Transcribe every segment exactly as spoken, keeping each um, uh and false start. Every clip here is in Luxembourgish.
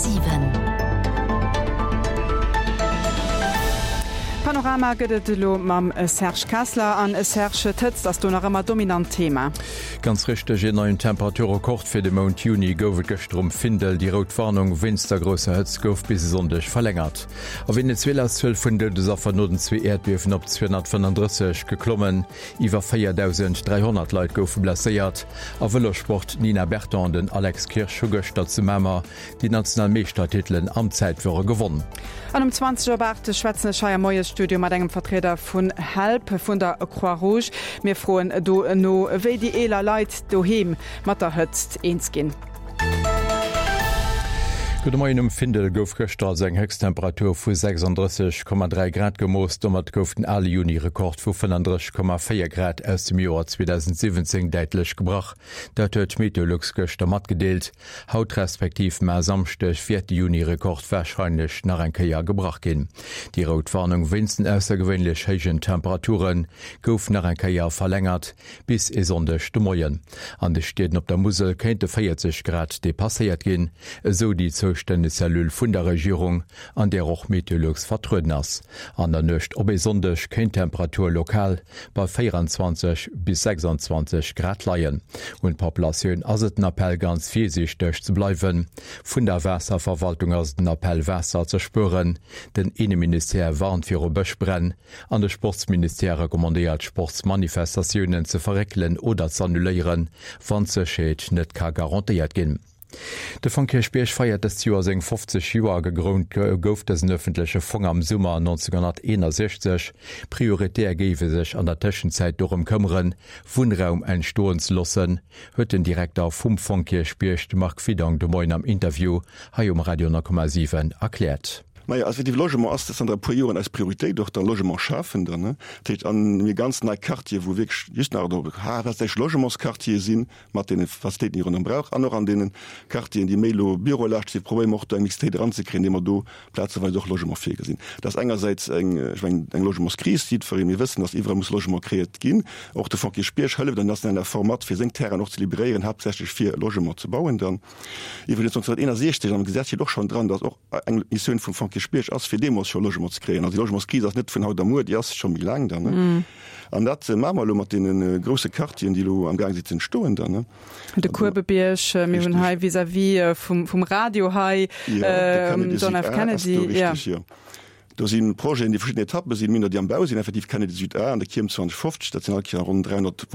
siwen. Panorama gëtt et elo mam Serge Kessler. An Serge, d'Hëtzt ass do nach ëmmer dominant Thema. Ganz richteg, een neien Temperaturrekord fir de Mount Juni gouf et gëschter um Findel. Déi rout Warnung wéinst der grousser Hëtzt gouf bis e Sonndeg verlängert. A Venezuela ass d'Zuel vun Doudesaffer no den zwee Äerdbiewen op zweehonnertfënnenddrësseg geklommen. Iwwer véierdausend dräihonnert Leit goufe blesséiert. A Vëlossport, D'Nina Berton an den Alex Kirsch hu gëschter zu Mamer déi national Meeschtertitelen am Zäitfuere gewonn. An um zwanzeg op aacht schwätzen ech hei am Moiesstudio mat engem Vertrieder vun Help vun der Croix Rouge. Mir froen do no, wéi déi eeler Leit doheem mat der Hëtzt eens ginn. Gudde Moien, Um Findel gouf gëschter also eng Héchsttemperatur vu sechsandrësseg Komma dräi Grad gemooss. Domat gouf den ale Juni-Rekord vu fënnandrësseg Komma véier Grad aus dem Joer zweedausendsiwwenzéng däitlech gebrach. Dat huet Meteolux gëschter matgedeelt. Haut respektiv mar Samschdeg wäert de Juni-Rekord warscheinlech nach eng Kéier gebrach ginn. Déi rout Warnung wéinst den aussergewéinlech héijen Temperature gouf nach eng Kéier verlängert bis e Sonndeg de Moien. An de Stied op der Musel kéinte véierzeg Grad depasséiert ginn, esou déi zoustänneg Cellule vun der Regierung, an där och Meteolux vertrueden ass. An der Nuecht op e Sonndeg kéint d'Temperatur lokal bei véieranzwanzeg bis sechsanzwanzeg Grad leien. Un d'Populatioun ass et den Appell ganz virsiichteg ze bleiwen. Vun der Waasserverwaltung ass et den Appell Waasser ze spueren. Den Inneministère warnt viru Bëschbränn an de Sportsministère recommandéiert Sportsmanifestatiounen ze verréckelen oder z'annuléieren, wann d'Sécherheet net ka garantéiert ginn. De Fong Kierchbierg feiert dëst Joer seng fofzeg Joer. Gegrënnt gouf dësen ëffentleche Fong am Summer nonzénghonnerteenasechzeg. Prioritär géif e sech an der Tëschenzäit dorëm këmmeren, Wunnraum entstoen ze loossen, huet den Direkter vum Fong Kierchbierg, de Marc Widong, de Moien am Interview hei um Radio nol Komma siwen erkläert. Majo, also effektiv Logement ass zanter e puer Joren eis Prioritéit, och da Logement schafen dann, ne. Dat heescht, an mir ganz nei Quartiere wou wierklech just nach do haaptsächlech Logementsquartiere sinn, mat deene Facilitéiten, déi ronderëm brauch, an och an deene Quartieren, déi méi elo bürolaaschteg sinn, probéiere mer och do eng Mixitéit eranzekréien, indem mer do plazeweis och Logement virgesinn. Dat ass engersäits eng, ech mengen, eng Logementskris, déi jiddweree, mir wëssen, dass iwwerall muss Logement kreéiert ginn. Och de Fonds Kierchbierg hëlleft an nationaler Form mat, fir seng Terrainen och ze liberéieren, haaptsächlech fir Logement ze bauen dann. Iwwregens nonzénhunnerteenasechzeg am Gesetz steet och schonn dran, dass och eng Missioun vum Fonds Kierchbierg ass, fir deemools scho Logement ze kréien. Also déi Logementskris ass net vun haut a muer, déi ass scho méi laang dann. An dat maache mer elo mat deene grousse Quartieren, déi elo amgaang sinn ze entstoen dann. De Kuebebierg, mir hunn hei vis-à-vis vum, vum Radio hei, John F. Kennedy. Richtig, jo. Do si Projeten, déi verschidden Etappe sinn, mir hunn der, déi am Bau sinn, effektiv Kennedy Süd A an der Kierm zweehonnertfofzeg, dat sinn all Kéier ronn dräihonnert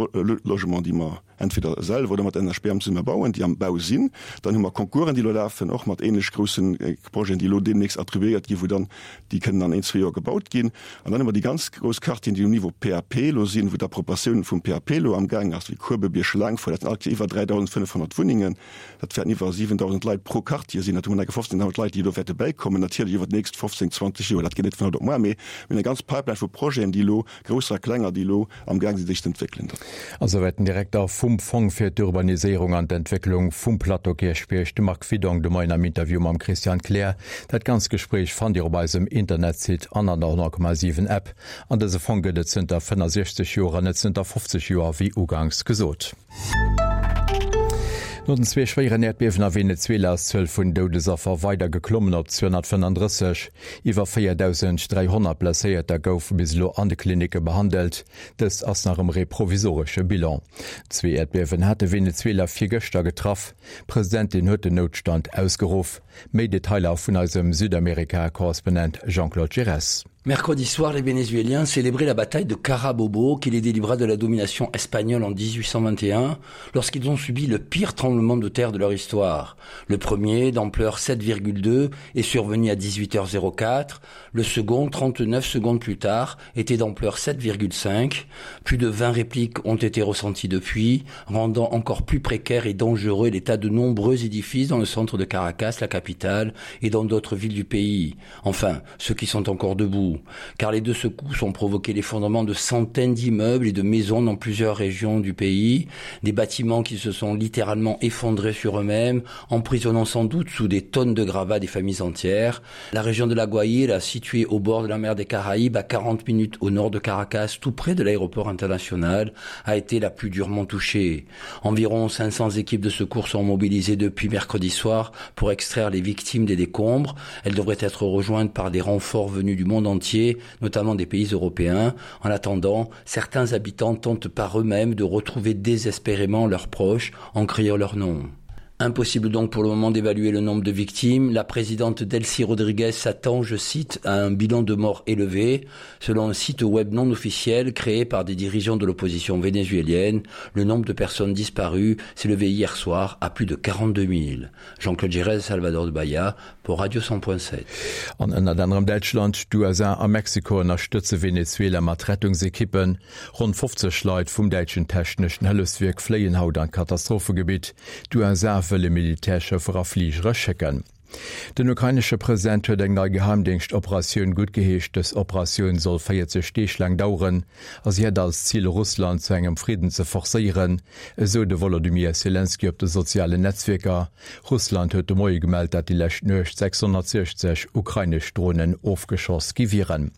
Logementen, déi mer entweder selwer oder mat N H B M zesumme bauen, déi am Bau sinn. Dann hu mer Concoursen, déi elo lafen, och mat ähnlech groussen Projeten, déi elo deemnächst attribuéiert ginn, wou dann déi kënnen an een, zwee Joer gebaut ginn. An dann hu mer déi ganz grouss Quartieren, déi um Niveau P A P elo sinn, wou d'Appropriatioun vum P A P elo amgaang ass, wéi Kuebebierg, Laangfort, dat sinn all Kéier iwwer dräidausendfënnefhonnert Wunnengen. Dat wäerten iwwer siwentausend Leit pro Quartier sinn. Dat hu mer nach fofzéngdausend Leit, déi do wäerte bäikommen, natierlech iwwer déi nächst fofzéng, zwanzeg Joer. Dat geet net vun haut op muer, mee mir hunn eng ganz Pipeline vu Projeten, déi elo, grousser a klenger, déi elo amgaang sinn, sech ze entwéckelen. Esouwäit den Direkter vum Fong fir d'Urbaniséierung an d'Entwécklung vum Plateau Kierchbierg, de Marc Widong, de Moien am Interview mam Christian Kleer. Dat ganzt Gespréich fannt Dir op eisem Internetsite an an der honnert Komma siwen App. An dëse Fong gëtt et zënter fënnendsechzeg Joer an net zënter fofzeg Joer, wéi uganks gesot. No den zwee schwéieren Äerdbiewen a Venezuela ass d'Zuel vun Doudesaffer weider geklommen op zweehonnertfënnenddrësseg. Iwwer véierdausend dräihonnert Blesséierter goufe bis elo an de Klinicke behandelt. Dëst ass nach ëmmer ee provisoresche Bilan. Zwee Äerdbiewen hate Venezuela virgëschter getraff. D'Presidentin huet den Noutstand ausgeruff. Méi Detailer vun eisem Südamerika-Korrespondent Jean-Claude Giresse. Mercredi soir, les Vénézuéliens célébraient la bataille de Carabobo qui les délivra de la domination espagnole en mille huit cent vingt et un lorsqu'ils ont subi le pire tremblement de terre de leur histoire. Le premier, d'ampleur sept virgule deux, est survenu à dix-huit heures zéro quatre. Le second, trente-neuf secondes plus tard, était d'ampleur sept virgule cinq. Plus de vingt répliques ont été ressenties depuis, rendant encore plus précaire et dangereux l'état de nombreux édifices dans le centre de Caracas, la capitale, et dans d'autres villes du pays. Enfin, ceux qui sont encore debout. tout, car les deux secousses ont provoqué l'effondrement de centaines d'immeubles et de maisons dans plusieurs régions du pays, des bâtiments qui se sont littéralement effondrés sur eux-mêmes, emprisonnant sans doute sous des tonnes de gravats des familles entières. La région de la Guaïra, située au bord de la mer des Caraïbes, à quarante minutes au nord de Caracas, tout près de l'aéroport international, a été la plus durement touchée. Environ cinq cents équipes de secours sont mobilisées depuis mercredi soir pour extraire les victimes des décombres. Elles devraient être rejointes par des renforts venus du monde entier, notamment des pays européens. En attendant, certains habitants tentent par eux-mêmes de retrouver désespérément leurs proches en criant leur nom. Impossible donc pour le moment d'évaluer le nombre de victimes. La présidente Delcy Rodriguez s'attend, je cite, à un bilan de morts élevé. Selon un site web non officiel créé par des dirigeants de l'opposition vénézuélienne, le nombre de personnes disparues s'est levé hier soir à plus de quarante-deux mille. Jean-Claude Gérez, Salvador de Bahia pour Radio cent point sept. An ënnert anderem Däitschland, d'U S A a Mexiko ënnerstëtze Venezuela mat Rettungsekippen. Ronn fofzeg Leit vum däitschen techneschen Hëllefswierk fléien haut an d'Katastrophegebitt. D'U S A wëlle Militärschëffer a Fligere schécken. Den ukrainesche President huet eng nei Geheimdienstoperatioun guttgeheescht. Dës Operatioun soll véierzeg Deeg laang daueren a si hätt als Zil, Russland zu engem Friden ze forcéieren, esou de Volodymyr Selenskyj op de sozialen Netzwierker. Russland huet de Moie gemellt, dat déi lescht Nuecht sechshonnertsechzeg ukrainesch Dronen ofgeschoss gi wieren.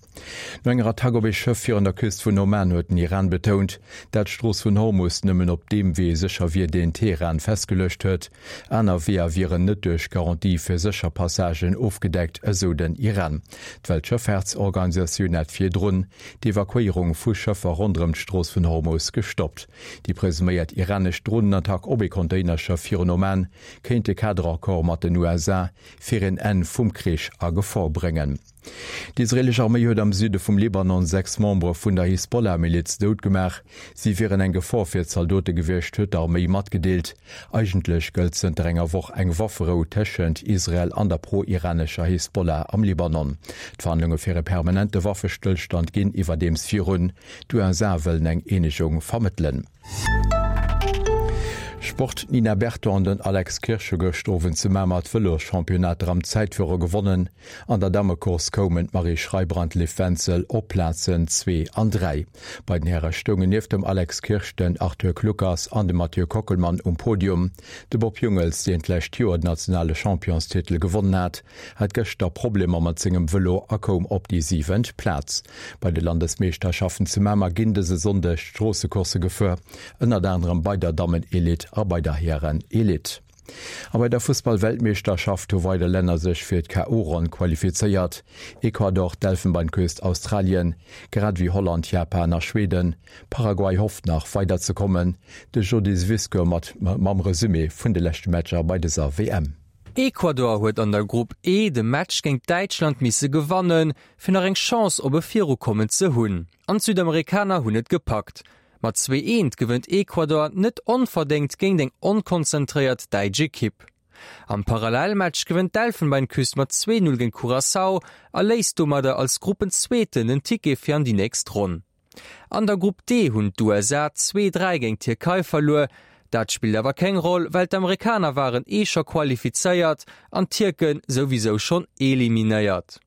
No enger Attack op ee Schëff virun der Küst vun Oman huet den Iran betount, dat d'Strooss vun Hormus nëmmen op deem Wee sécher wier, deen Teheran festgeluecht huet. Aner Weeër wieren net duerch Garantie fir sécher Passagen ofgedeckt, esou den Iran. D'Weltschëffaartsorganisatioun hat virdrun d'Evakuéierung vu Schëffer ronderëm d'Strooss vun Hormus gestoppt. Déi presuméiert iranesch Dronenattack op ee Containerschëff virun Oman kéint de Kaderaccord mat den U S A fir een Enn vum Krich a Gefor bréngen. D'israelesch Arméi huet am Süde vum Libanon sechs Membere vun der Hisbollah-Miliz doutgemaach. Si wieren eng Gefor fir d'Zaldote gewiescht, huet d'Arméi matgedeelt. Eigentlech gëllt zënter enger Woch eng Wafferou tëschent Israel an der pro-iranescher Hisbollah am Libanon. D'Verhandlunge fir e permanente Waffestëllstand ginn iwwerdeems virun. D'U S A wëllen eng Eenegung vermëttelen. Sport: Nina Berton an den Alex Kirsch hu gëschter Owend zu Mamer d'Vëloschampionat am Zäitfuere gewonnen. An der Dammekurs koumen d'Marie Schreiber an d'Liv Wenzel op Plazen zwee an dräi. Bei den Häre stoungen nieft dem Alex Kirsch den Arthur Kluckers an de Mathieu Kockelmann um Podium. De Bob Jungels, deen d'lescht Joer den nationale Championstitel gewonnen hat, hat gëschter Problemer mat sengem Vëlo a koum op déi siwent Plaz. Bei de Landesmeeschterschaften zu Mamer ginn dëse Sonndeg Stroossecoursse gefuer, ënnert anderem bei der Dammen-Elite a bei der Hären-Elite. A bei der Fussball-Weltmeeschterschaft hu weider Länner sech fir d'K O-Ronn qualifizéiert. Ecuador, d'Elfenbeinküst, Australien, grad wéi Holland, Japan a Schweden. Paraguay hofft nach weiderzekommen. De Jody Zwisko mat mam Resümee vun de leschte Matcher bei dëser W M. Ecuador huet an der Grupp E de Match géint Däitschland misse gewannen, fir nach eng Chance op e Virukommen ze hunn. An d'Südamerikaner hunn et gepackt. Mat zwee eent gewënnt Ecuador net onverdéngt géint eng onkonzentréiert däitsch Ekipp. Am Parallelmatch gewënnt d'Elfenbeinküst mat zwee null géint Curaçao a léist domadder als Gruppenzweeten den Ticket fir an déi nächst Ronn. An der Grupp D hunn d'U S A zwee dräi géint d'Tierkei verluer. Dat spillt awer keng Roll, well d'Amerikaner waren eh scho qualifizéiert an d'Tierken souwisou schonn eliminéiert.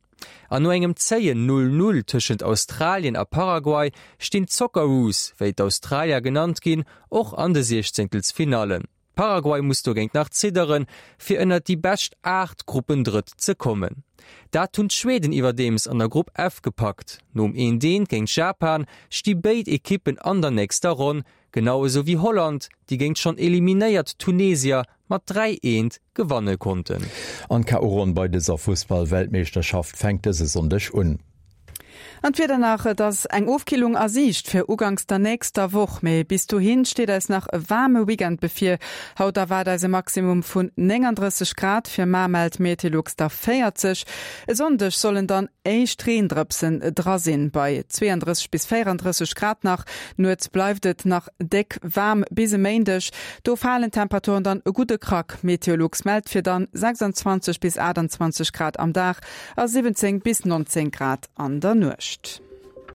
An no engem zéien null null tëschent Australien a Paraguay stinn d'Socceroos, wéi d'Australier genannt ginn, och an de Siechzéngtelsfinallen. Paraguay muss dogéint nach zidderen, fir ënner déi bescht aacht Gruppendrëtt ze kommen. Dat hunn d'Schweden iwwerdeems an der Grupp F gepackt. Nom eent eent géint Japan sti béid Ekippen an der nächster Ronn, genau esou wéi Holland, déi géint schonn eliminéiert Tunesier mat dräi eent gewanne konnten. An K O-Ronn bei dëser Fussball-Weltmeeschterschaft fänkt dëse Sonndeg un. An d'Wieder nach, et ass eng Ofkillung a Siicht fir ugangs der nächster Woch. Mee bis dohin steet eis nach e waarme Weekend bevir. Haut erwaart eis e Maximum vun neununddrësseg Grad, fir mar mellt Meteolux der véierzeg. E Sonndeg sollen dann éischt Reendrëpsen dra sinn, bei zweiunddrësseg bis véierunddrësseg Grad nach. Nuets bleift et nach déck waarm bis e Méindeg. Do falen d'Temperaturen dann e gudde Krack. Meteolux mellt fir dann sechsundzwanzeg bis achtundzwanzeg Grad am Dag a siwwenzéng bis neunzéng Grad an der Nuecht.